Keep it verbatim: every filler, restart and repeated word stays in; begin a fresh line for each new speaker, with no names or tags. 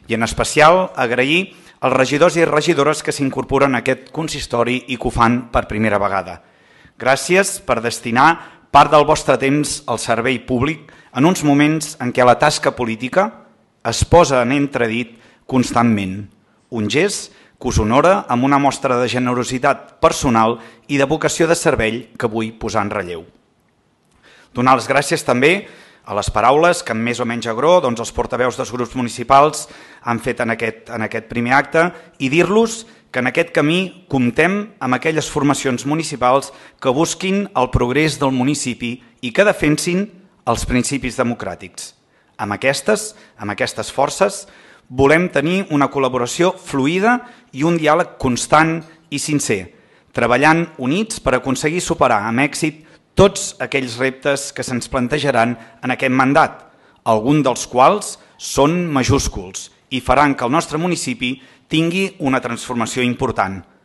i en especial agrair als regidors i regidores que s'incorporen a aquest consistori i que ho fan per primera vegada. Gràcies per destinar part del vostre temps al servei públic en uns moments en què la tasca política es posa en entredit constantment. Un gest que us honora amb una mostra de generositat personal i de vocació de servei que vull posar en relleu. Donar les gràcies també a les paraules que amb més o menys agró doncs, els portaveus dels grups municipals han fet en aquest, en aquest primer acte i dir-los que en aquest camí comptem amb aquelles formacions municipals que busquin el progrés del municipi i que defensin els principis democràtics. Amb aquestes, amb aquestes forces volem tenir una col·laboració fluida i un diàleg constant i sincer, treballant units per aconseguir superar amb èxit tots aquells reptes que se'ns plantejaran en aquest mandat, alguns dels quals són majúsculs i faran que el nostre municipi tingui una transformació important.